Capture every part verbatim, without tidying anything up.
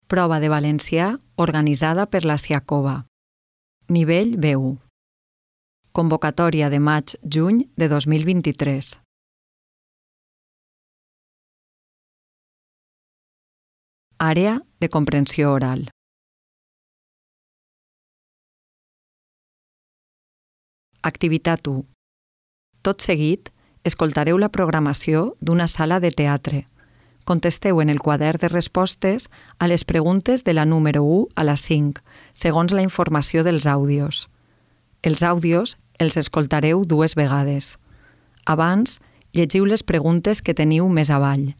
Prova de valencià organitzada per la Siacova. Nivell B u. Convocatòria de maig-juny de dos mil vint-i-tres. Àrea de comprensió oral. Activitat u. Tot seguit, escoltareu la programació d'una sala de teatre. Contesteu en el quadern de respostes a les preguntes de la número u a la cinc, segons la informació dels àudios. Els àudios els escoltareu dues vegades. Abans, llegiu les preguntes que teniu més avall.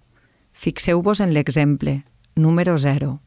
Fixeu-vos en l'exemple, número zero.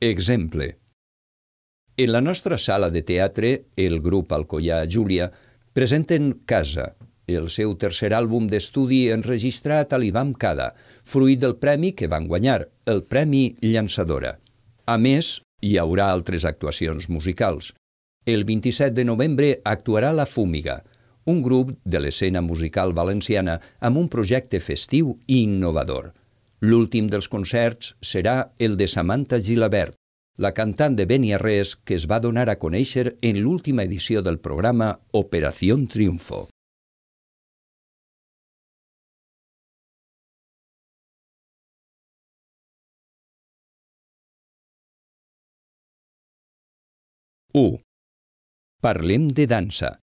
Exemple. En la nostra sala de teatre, el grup Alcoià Júlia presenten Casa, el seu tercer àlbum d'estudi enregistrat a l'IBAM-CADA, fruit del premi que van guanyar, el Premi Llançadora. A més, hi haurà altres actuacions musicals. El vint-i-set de novembre actuarà La Fúmiga, un grup de l'escena musical valenciana amb un projecte festiu i innovador. L'últim dels concerts serà el de Samantha Gilabert, la cantant de Beniarrés que es va donar a conèixer en l'última edició del programa Operación Triunfo. u. Parlem de dansa.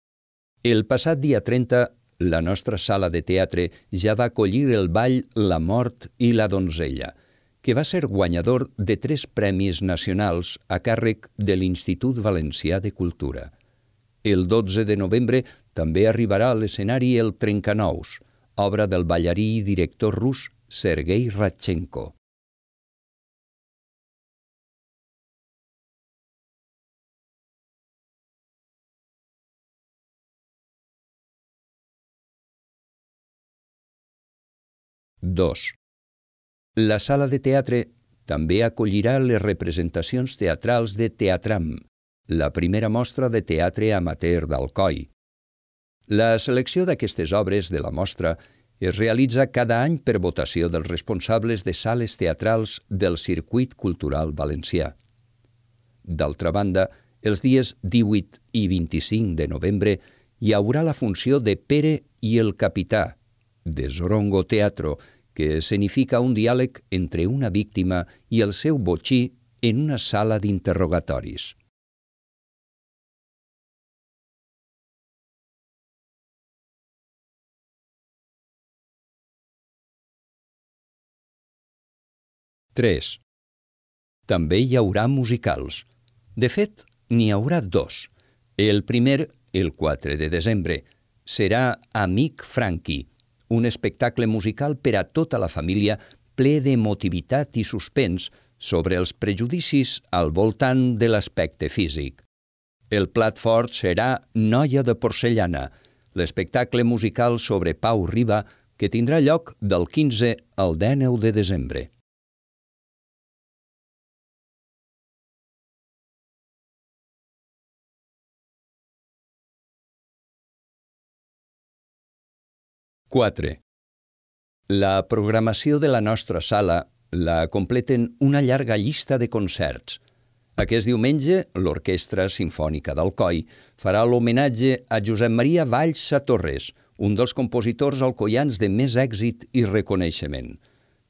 El passat dia trenta, la nostra sala de teatre ja va acollir el ball La mort i la donzella, que va ser guanyador de tres premis nacionals a càrrec de l'Institut Valencià de Cultura. El dotze de novembre també arribarà a l'escenari el Trencanous, obra del ballarí i director rus Sergei Radchenko. dos. La sala de teatre també acollirà les representacions teatrals de Teatram, la primera mostra de teatre amateur d'Alcoi. La selecció d'aquestes obres de la mostra es realitza cada any per votació dels responsables de sales teatrals del circuit cultural valencià. D'altra banda, els dies divuit i vint-i-cinc de novembre hi haurà la funció de Pere i el Capità, de Zorongo Teatro, que escenifica un diàleg entre una víctima i el seu botxí en una sala d'interrogatoris. tres. També hi haurà musicals. De fet, n'hi haurà dos. El primer, el quatre de desembre, serà Amic Franqui, un espectacle musical per a tota la família ple d'emotivitat i suspens sobre els prejudicis al voltant de l'aspecte físic. El plat fort serà Noia de porcellana, l'espectacle musical sobre Pau Riba que tindrà lloc del quinze al dinou de desembre. quatre. La programació de la nostra sala la completen una llarga llista de concerts. Aquest diumenge, l'Orquestra Simfònica d'Alcoi farà l'homenatge a Josep Maria Valls Satorres, un dels compositors alcoians de més èxit i reconeixement.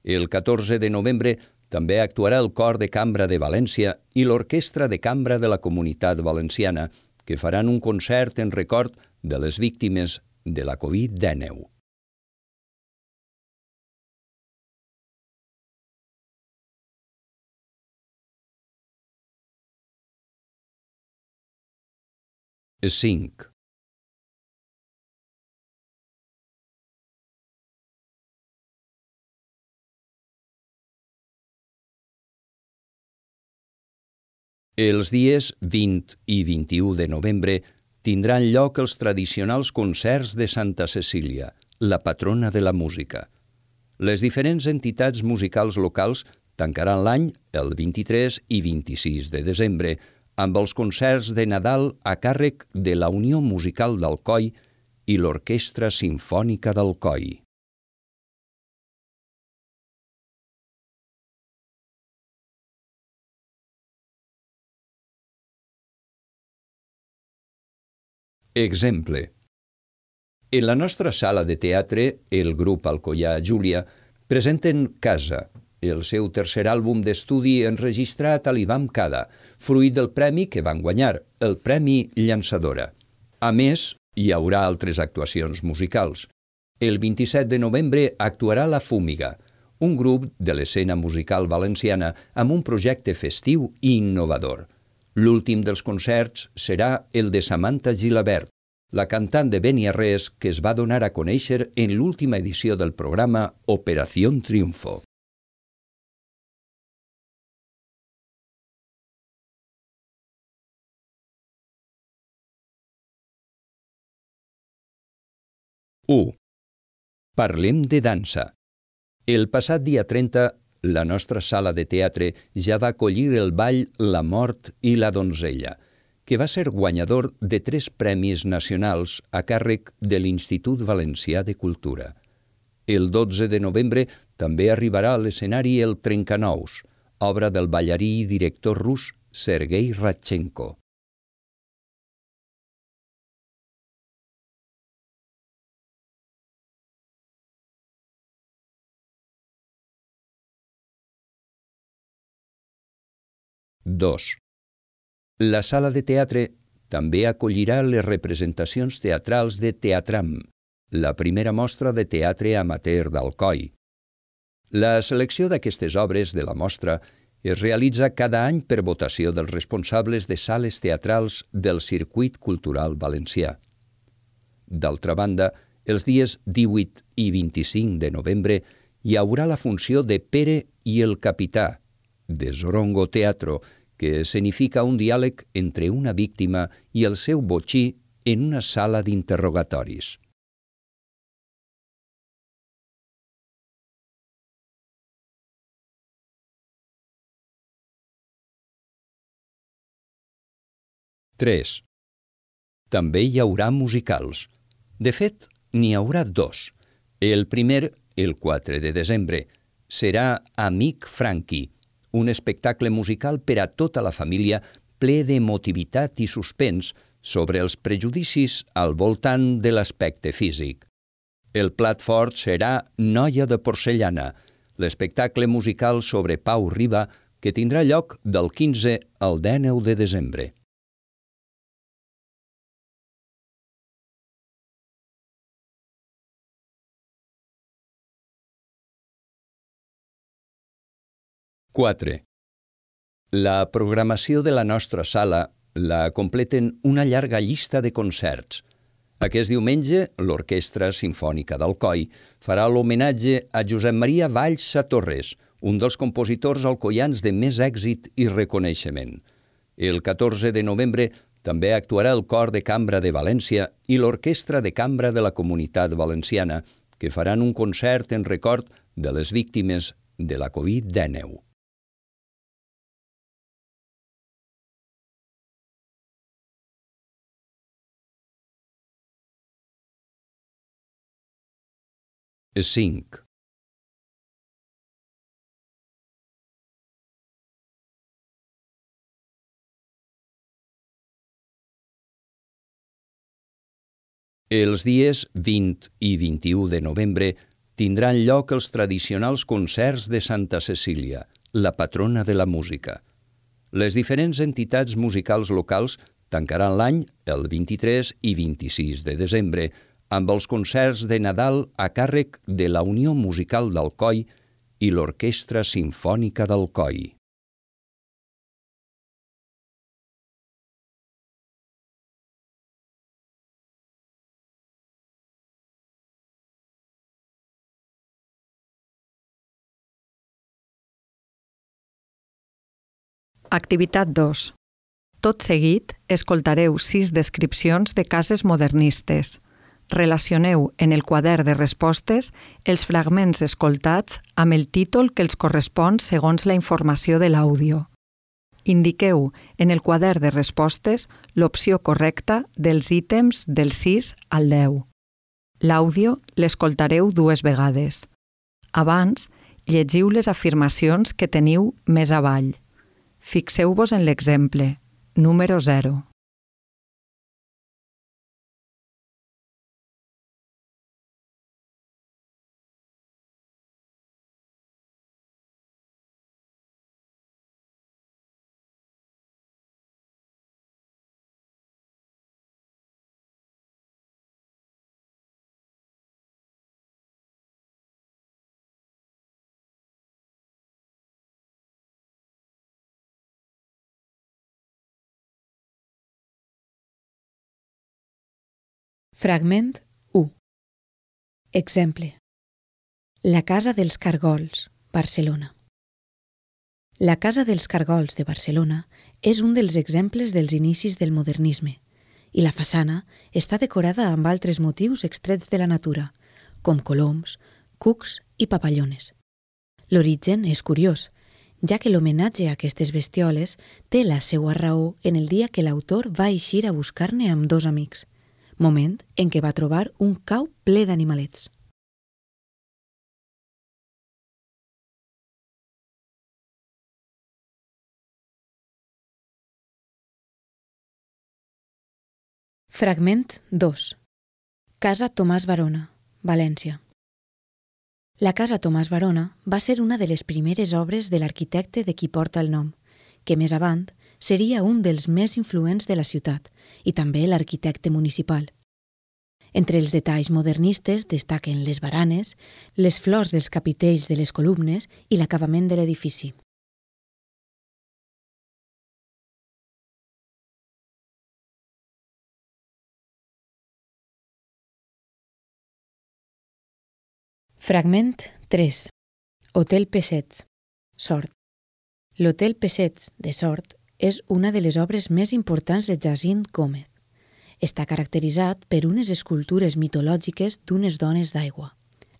El catorze de novembre també actuarà el Cor de Cambra de València i l'Orquestra de Cambra de la Comunitat Valenciana, que faran un concert en record de les víctimes de la covid dinou. cinc. Els dies vint i vint-i-u de novembre tindran lloc els tradicionals concerts de Santa Cecília, la patrona de la música. Les diferents entitats musicals locals tancaran l'any el vint-i-tres i vint-i-sis de desembre amb els concerts de Nadal a càrrec de la Unió Musical d'Alcoi i l'Orquestra Simfònica d'Alcoi. Exemple. En la nostra sala de teatre, el grup Alcoià Júlia presenten Casa, el seu tercer àlbum d'estudi enregistrat a l'IBAM-CADA, fruit del premi que van guanyar, el Premi Llançadora. A més, hi haurà altres actuacions musicals. El vint-i-set de novembre actuarà La Fúmiga, un grup de l'escena musical valenciana amb un projecte festiu i innovador. L'últim dels concerts serà el de Samantha Gilabert, la cantant de Beniarrés que es va donar a conèixer en l'última edició del programa Operación Triunfo. u. Parlem de dansa. El passat dia trenta, la nostra sala de teatre ja va acollir el ball La mort i la donzella, que va ser guanyador de tres premis nacionals a càrrec de l'Institut Valencià de Cultura. El dotze de novembre també arribarà a l'escenari el Trencanous, obra del ballarí i director rus Sergei Radchenko. dos. La sala de teatre també acollirà les representacions teatrals de Teatram, la primera mostra de teatre amateur d'Alcoi. La selecció d'aquestes obres de la mostra es realitza cada any per votació dels responsables de sales teatrals del circuit cultural valencià. D'altra banda, els dies divuit i vint-i-cinc de novembre hi haurà la funció de Pere i el Capità, de Zorongo Teatro, que escenifica un diàleg entre una víctima i el seu botxí en una sala d'interrogatoris. tres. També hi haurà musicals. De fet, n'hi haurà dos. El primer, el quatre de desembre, serà Amic Franqui, un espectacle musical per a tota la família ple d'emotivitat i suspens sobre els prejudicis al voltant de l'aspecte físic. El plat fort serà Noia de porcellana, l'espectacle musical sobre Pau Riba que tindrà lloc del quinze al dinou de desembre. quatre. La programació de la nostra sala la completen una llarga llista de concerts. Aquest diumenge, l'Orquestra Simfònica d'Alcoi farà l'homenatge a Josep Maria Valls Satorres, un dels compositors alcoians de més èxit i reconeixement. El catorze de novembre també actuarà el Cor de Cambra de València i l'Orquestra de Cambra de la Comunitat Valenciana, que faran un concert en record de les víctimes de la covid dinou. cinc. Els dies vint i vint-i-u de novembre tindran lloc els tradicionals concerts de Santa Cecília, la patrona de la música. Les diferents entitats musicals locals tancaran l'any el vint-i-tres i vint-i-sis de desembre amb els concerts de Nadal a càrrec de la Unió Musical d'Alcoi i l'Orquestra Simfònica d'Alcoi. Activitat dos. Tot seguit, escoltareu sis descripcions de cases modernistes. Relacioneu en el quadern de respostes els fragments escoltats amb el títol que els correspon segons la informació de l'àudio. Indiqueu en el quadern de respostes l'opció correcta dels ítems del sis al deu. L'àudio l'escoltareu dues vegades. Abans, llegiu les afirmacions que teniu més avall. Fixeu-vos en l'exemple, número zero. Fragment u. Exemple. La Casa dels Cargols, Barcelona. La Casa dels Cargols de Barcelona és un dels exemples dels inicis del modernisme i la façana està decorada amb altres motius extrets de la natura, com coloms, cucs i papallones. L'origen és curiós, ja que l'homenatge a aquestes bestioles té la seva raó en el dia que l'autor va eixir a buscar-ne amb dos amics, moment en què va trobar un cau ple d'animalets. Fragment dos. Casa Tomàs Barona, València. La Casa Tomàs Barona va ser una de les primeres obres de l'arquitecte de qui porta el nom, que més avant seria un dels més influents de la ciutat i també l'arquitecte municipal. Entre els detalls modernistes destaquen les baranes, les flors dels capitells de les columnes i l'acabament de l'edifici. Fragment tres. Hotel Pessets, Sort. L'Hotel Pessets de Sort és una de les obres més importants de Jacint Gómez. Està caracteritzat per unes escultures mitològiques d'unes dones d'aigua.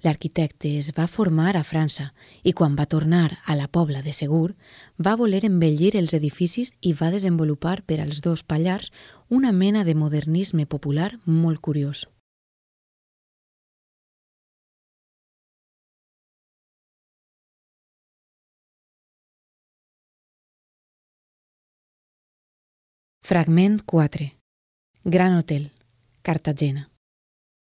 L'arquitecte es va formar a França i quan va tornar a la Pobla de Segur va voler embellir els edificis i va desenvolupar per als dos pallars una mena de modernisme popular molt curiós. Fragment quatre. Gran Hotel, Cartagena.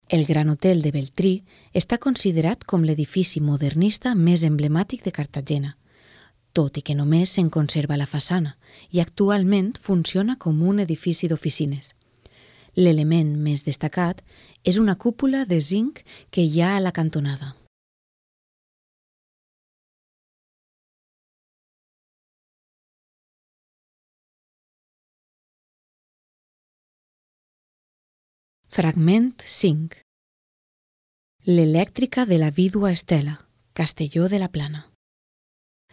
El Gran Hotel de Beltrí està considerat com l'edifici modernista més emblemàtic de Cartagena, tot i que només se'n conserva la façana i actualment funciona com un edifici d'oficines. L'element més destacat és una cúpula de zinc que hi ha a la cantonada. Fragment cinc. L'elèctrica de la vídua Estela, Castelló de la Plana.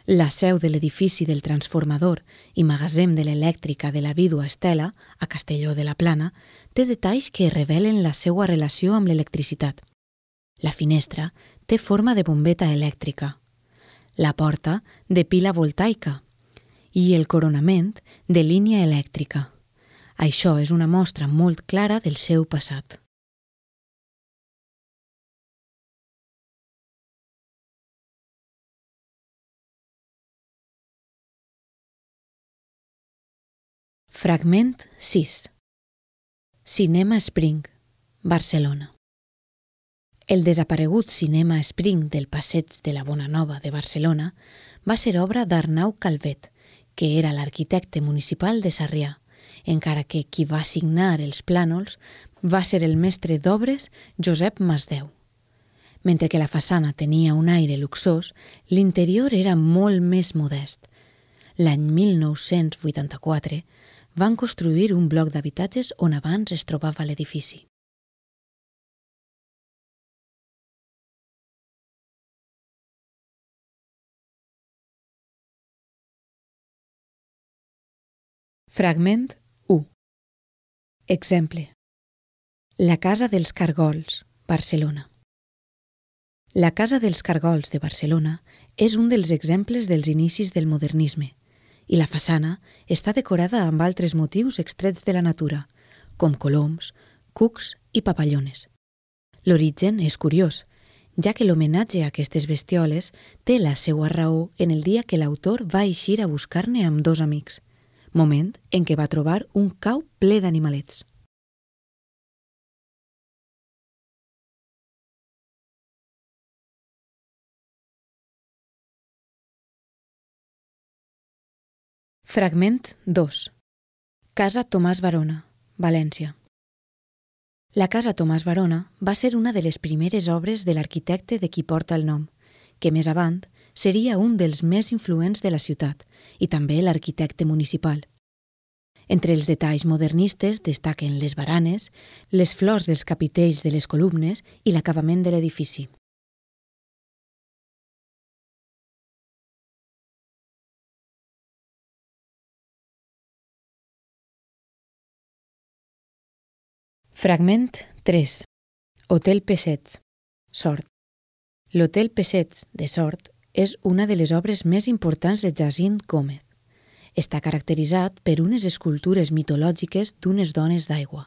La seu de l'edifici del transformador i magatzem de l'elèctrica de la vídua Estela, a Castelló de la Plana, té detalls que revelen la seva relació amb l'electricitat. La finestra té forma de bombeta elèctrica, la porta de pila voltaica i el coronament de línia elèctrica. Això és una mostra molt clara del seu passat. Fragment sis. Cinema Spring, Barcelona. El desaparegut Cinema Spring del Passeig de la Bonanova de Barcelona va ser obra d'Arnau Calvet, que era l'arquitecte municipal de Sarrià, encara que qui va signar els plànols va ser el mestre d'obres Josep Masdeu. Mentre que la façana tenia un aire luxós, l'interior era molt més modest. L'any mil nou-cents vuitanta-quatre van construir un bloc d'habitatges on abans es trobava l'edifici. Fragment u. Exemple. La Casa dels Cargols, Barcelona. La Casa dels Cargols de Barcelona és un dels exemples dels inicis del modernisme i la façana està decorada amb altres motius extrets de la natura, com coloms, cucs i papallones. L'origen és curiós, ja que l'homenatge a aquestes bestioles té la seva raó en el dia que l'autor va eixir a buscar-ne amb dos amics, moment en què va trobar un cau ple d'animalets. Fragment dos. Casa Tomàs Barona, València. La Casa Tomàs Barona va ser una de les primeres obres de l'arquitecte de qui porta el nom, que més avant seria un dels més influents de la ciutat i també l'arquitecte municipal. Entre els detalls modernistes destaquen les baranes, les flors dels capitells de les columnes i l'acabament de l'edifici. Fragment tres. Hotel Pessets, Sort. L'Hotel Pessets de Sort és una de les obres més importants de Jacint Gómez. Està caracteritzat per unes escultures mitològiques d'unes dones d'aigua.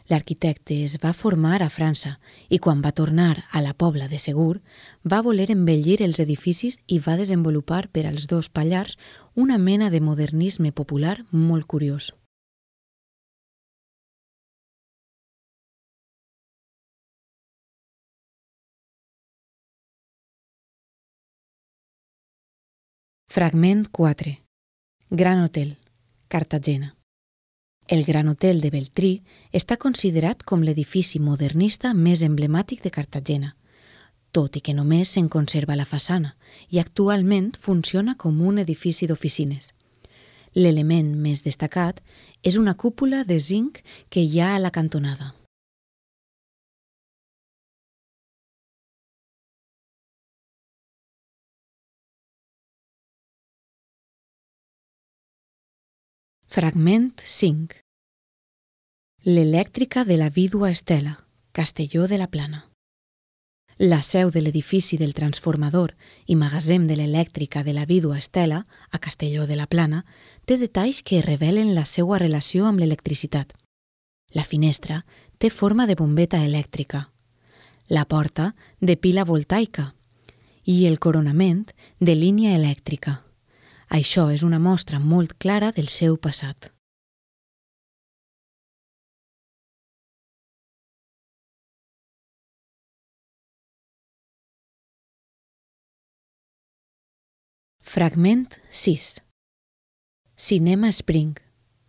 L'arquitecte es va formar a França i quan va tornar a la Pobla de Segur va voler embellir els edificis i va desenvolupar per als dos pallars una mena de modernisme popular molt curiós. Fragment quatre. Gran Hotel, Cartagena. El Gran Hotel de Beltrí està considerat com l'edifici modernista més emblemàtic de Cartagena, tot i que només se'n conserva la façana i actualment funciona com un edifici d'oficines. L'element més destacat és una cúpula de zinc que hi ha a la cantonada. Fragment cinc. L'elèctrica de la vídua Estela, Castelló de la Plana. La seu de l'edifici del transformador i magatzem de l'elèctrica de la vídua Estela, a Castelló de la Plana, té detalls que revelen la seva relació amb l'electricitat. La finestra té forma de bombeta elèctrica, la porta de pila voltaica i el coronament de línia elèctrica. Això és una mostra molt clara del seu passat. Fragment sis. Cinema Spring,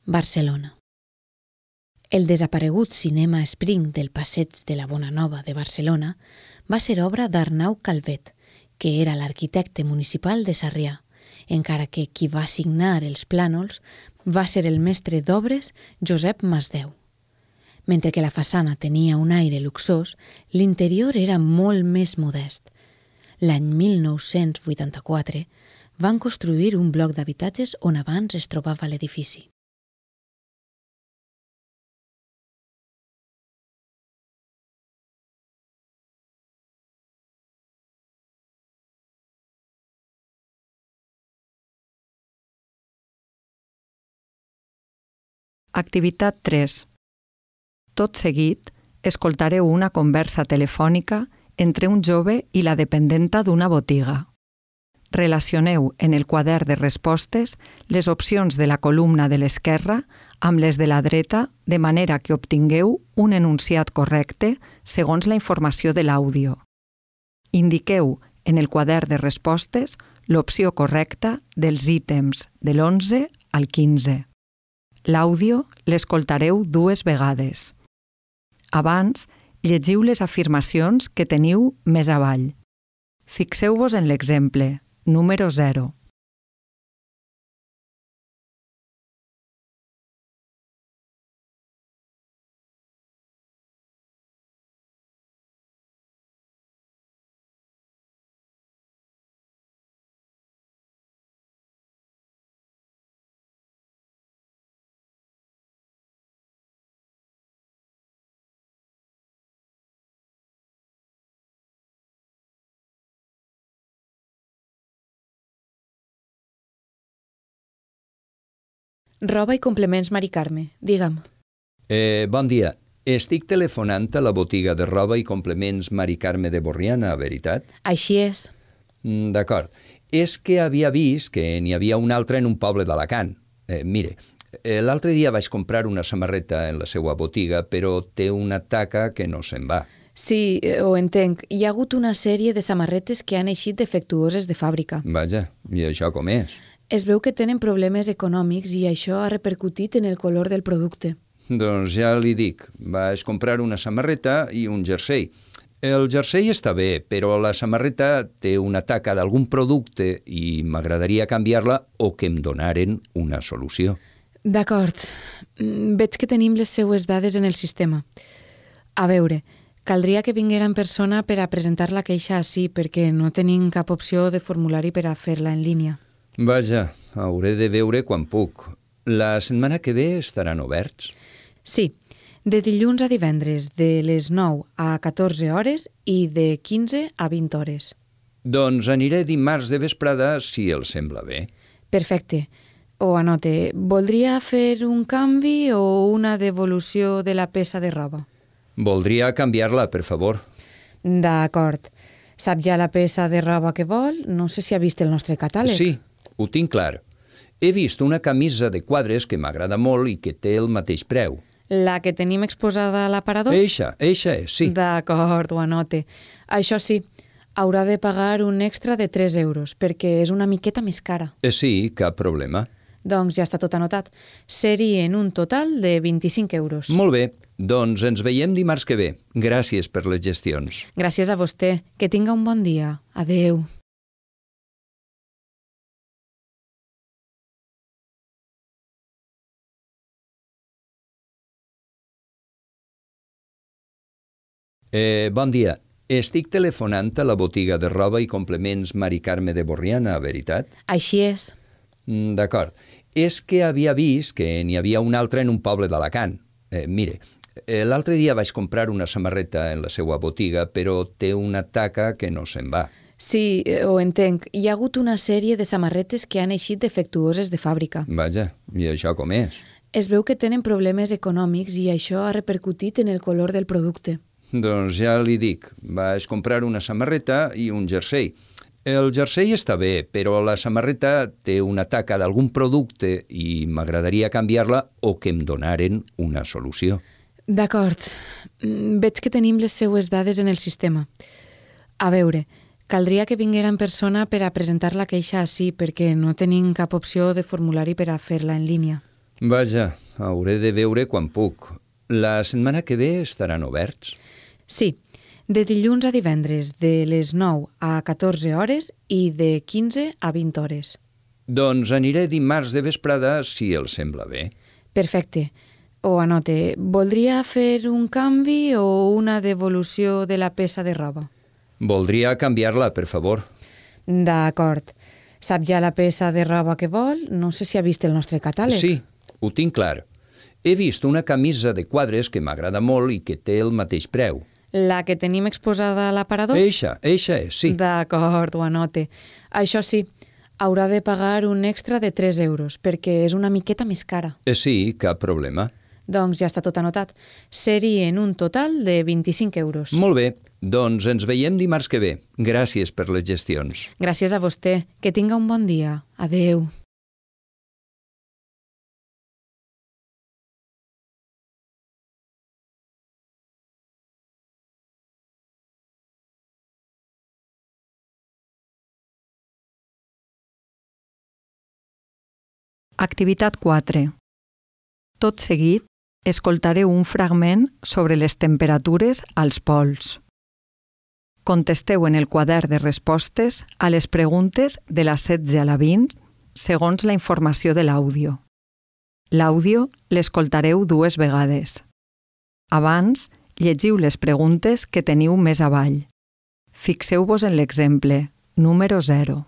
Barcelona. El desaparegut Cinema Spring del Passeig de la Bonanova de Barcelona va ser obra d'Arnau Calvet, que era l'arquitecte municipal de Sarrià, encara que qui va signar els plànols va ser el mestre d'obres Josep Masdeu. Mentre que la façana tenia un aire luxós, l'interior era molt més modest. L'any mil nou-cents vuitanta-quatre van construir un bloc d'habitatges on abans es trobava l'edifici. Activitat tres. Tot seguit, escoltareu una conversa telefònica entre un jove i la dependenta d'una botiga. Relacioneu en el quadern de respostes les opcions de la columna de l'esquerra amb les de la dreta de manera que obtingueu un enunciat correcte segons la informació de l'àudio. Indiqueu en el quadern de respostes l'opció correcta dels ítems de l'onze al quinze. L'àudio l'escoltareu dues vegades. Abans, llegiu les afirmacions que teniu més avall. Fixeu-vos en l'exemple, número zero. Roba i complements Mari Carme, digue'm. Eh, bon dia. Estic telefonant a la botiga de roba i complements Mari Carme de Borriana, veritat? Així és. Mm, D'acord. És que havia vist que n'hi havia una altra en un poble d'Alacant. Eh, mire, eh, l'altre dia vaig comprar una samarreta en la seva botiga, però té una taca que no se'n va. Sí, eh, ho entenc. Hi ha hagut una sèrie de samarretes que han eixit defectuoses de fàbrica. Vaja, i això com és? Es veu que tenen problemes econòmics i això ha repercutit en el color del producte. Doncs ja li dic, vaig comprar una samarreta i un jersei. El jersei està bé, però la samarreta té una taca d'algun producte i m'agradaria canviar-la o que em donaren una solució. D'acord. Mm, Veig que tenim les seues dades en el sistema. A veure, caldria que vinguera en persona per a presentar la queixa ací, perquè no tenim cap opció de formulari per a fer-la en línia. Vaja, hauré de veure quan puc. La setmana que ve estaran oberts? Sí, de dilluns a divendres, de les nou a catorze hores i de quinze a vint hores. Doncs aniré dimarts de vesprada si els sembla bé. Perfecte. O anote, voldria fer un canvi o una devolució de la peça de roba? Voldria canviar-la, per favor. D'acord. Sap ja la peça de roba que vol? No sé si ha vist el nostre catàleg. Sí, ho tinc clar. He vist una camisa de quadres que m'agrada molt i que té el mateix preu. La que tenim exposada a l'aparador? Eixa, eixa és, sí. D'acord, ho anote. Això sí, haurà de pagar un extra de tres euros, perquè és una miqueta més cara. Eh, Sí, cap problema. Doncs ja està tot anotat. Serien un total de vint-i-cinc euros. Molt bé, doncs ens veiem dimarts que ve. Gràcies per les gestions. Gràcies a vostè. Que tinga un bon dia. Adeu. Eh, bon dia. Estic telefonant a la botiga de roba i complements Mari Carme de Borriana, veritat? Així és. Mm, D'acord. És que havia vist que n'hi havia una altra en un poble d'Alacant. Eh, mire, eh, l'altre dia vaig comprar una samarreta en la seva botiga, però té una taca que no se'n va. Sí, eh, ho entenc. Hi ha hagut una sèrie de samarretes que han eixit defectuoses de fàbrica. Vaja, i això com és? Es veu que tenen problemes econòmics i això ha repercutit en el color del producte. Doncs ja li dic, vaig comprar una samarreta i un jersei. El jersei està bé, però la samarreta té una taca d'algun producte i m'agradaria canviar-la o que em donaren una solució. D'acord. Mm, Veig que tenim les seues dades en el sistema. A veure, caldria que vinguera en persona per a presentar la queixa ací, perquè no tenim cap opció de formulari per a fer-la en línia. Vaja, hauré de veure quan puc. La setmana que ve estaran oberts? Sí, de dilluns a divendres, de les nou a catorze hores i de quinze a vint hores. Doncs aniré dimarts de vesprada si els sembla bé. Perfecte. O anote, voldria fer un canvi o una devolució de la peça de roba? Voldria canviar-la, per favor. D'acord. Sap ja la peça de roba que vol? No sé si ha vist el nostre catàleg. Sí, ho tinc clar. He vist una camisa de quadres que m'agrada molt i que té el mateix preu. La que tenim exposada a l'aparador? Eixa, eixa és, sí. D'acord, ho anote. Això sí, haurà de pagar un extra de tres euros, perquè és una miqueta més cara. Eh, Sí, cap problema. Doncs ja està tot anotat. Serien un total de vint-i-cinc euros. Molt bé, doncs ens veiem dimarts que ve. Gràcies per les gestions. Gràcies a vostè. Que tinga un bon dia. Adeu. Activitat quatre. Tot seguit, escoltareu un fragment sobre les temperatures als pols. Contesteu en el quadern de respostes a les preguntes de la setze a la vint segons la informació de l'àudio. L'àudio l'escoltareu dues vegades. Abans, llegiu les preguntes que teniu més avall. Fixeu-vos en l'exemple, número zero.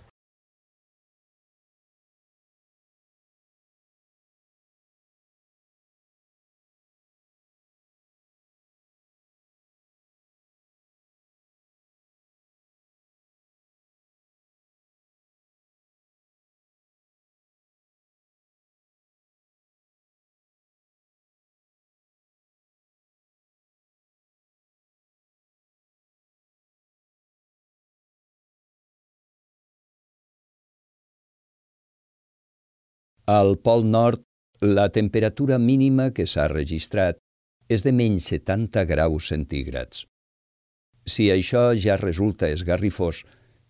Al Pol Nord, la temperatura mínima que s'ha registrat és de menys setanta graus centígrads. Si això ja resulta esgarrifós,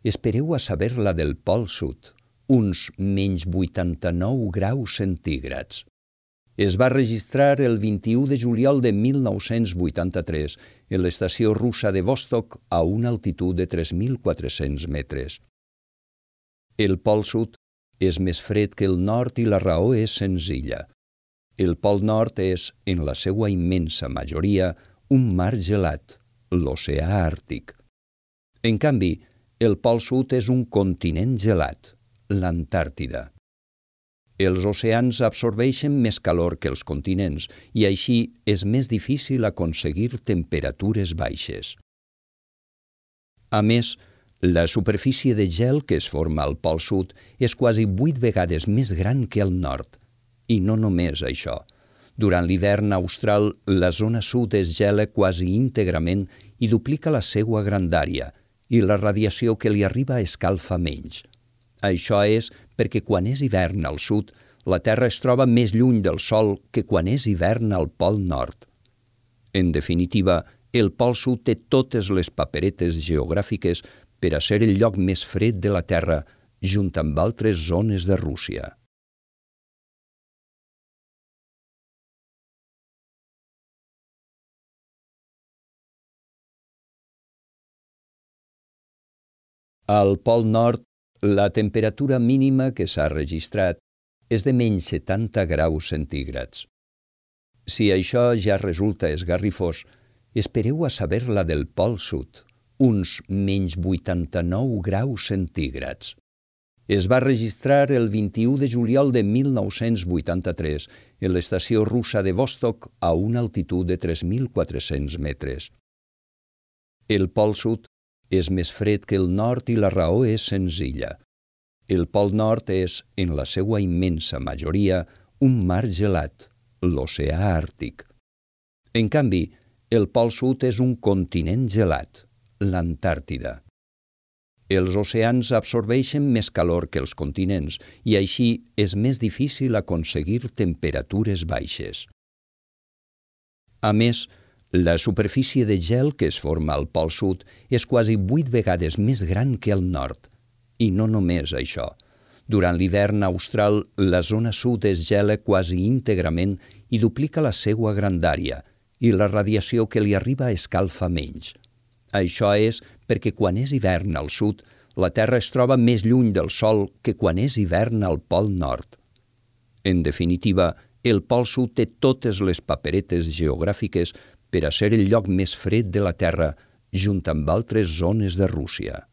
espereu a saber la del Pol Sud, uns menys vuitanta-nou graus centígrads. Es va registrar el vint-i-u de juliol de mil nou-cents vuitanta-tres en l'estació russa de Vostok a una altitud de tres mil quatre-cents metres. El Pol Sud és més fred que el nord i la raó és senzilla. El Pol Nord és, en la seva immensa majoria, un mar gelat, l'oceà Àrtic. En canvi, el Pol Sud és un continent gelat, l'Antàrtida. Els oceans absorbeixen més calor que els continents i així és més difícil aconseguir temperatures baixes. A més, la superfície de gel que es forma al Pol Sud és quasi vuit vegades més gran que al nord. I no només això. Durant l'hivern austral, la zona sud es gela quasi íntegrament i duplica la seva grandària, i la radiació que li arriba escalfa menys. Això és perquè quan és hivern al sud, la Terra es troba més lluny del Sol que quan és hivern al Pol Nord. En definitiva, el Pol Sud té totes les paperetes geogràfiques per a ser el lloc més fred de la Terra, junt amb altres zones de Rússia. Al Pol Nord, la temperatura mínima que s'ha registrat és de menys setanta graus centígrads. Si això ja resulta esgarrifós, espereu a saber la del Pol Sud, uns menys vuitanta-nou graus centígrads. Es va registrar el vint-i-u de juliol de mil nou-cents vuitanta-tres en l'estació russa de Vostok a una altitud de tres mil quatre-cents metres. El Pol Sud és més fred que el nord i la raó és senzilla. El Pol Nord és, en la seva immensa majoria, un mar gelat, l'oceà Àrtic. En canvi, el Pol Sud és un continent gelat, l'Antàrtida. Els oceans absorbeixen més calor que els continents i així és més difícil aconseguir temperatures baixes. A més, la superfície de gel que es forma al Pol Sud és quasi vuit vegades més gran que al nord. I no només això. Durant l'hivern austral, la zona sud es gela quasi íntegrament i duplica la seva grandària, i la radiació que li arriba escalfa menys. Això és perquè quan és hivern al sud, la Terra es troba més lluny del Sol que quan és hivern al Pol Nord. En definitiva, el Pol Sud té totes les paperetes geogràfiques per a ser el lloc més fred de la Terra, junt amb altres zones de Rússia.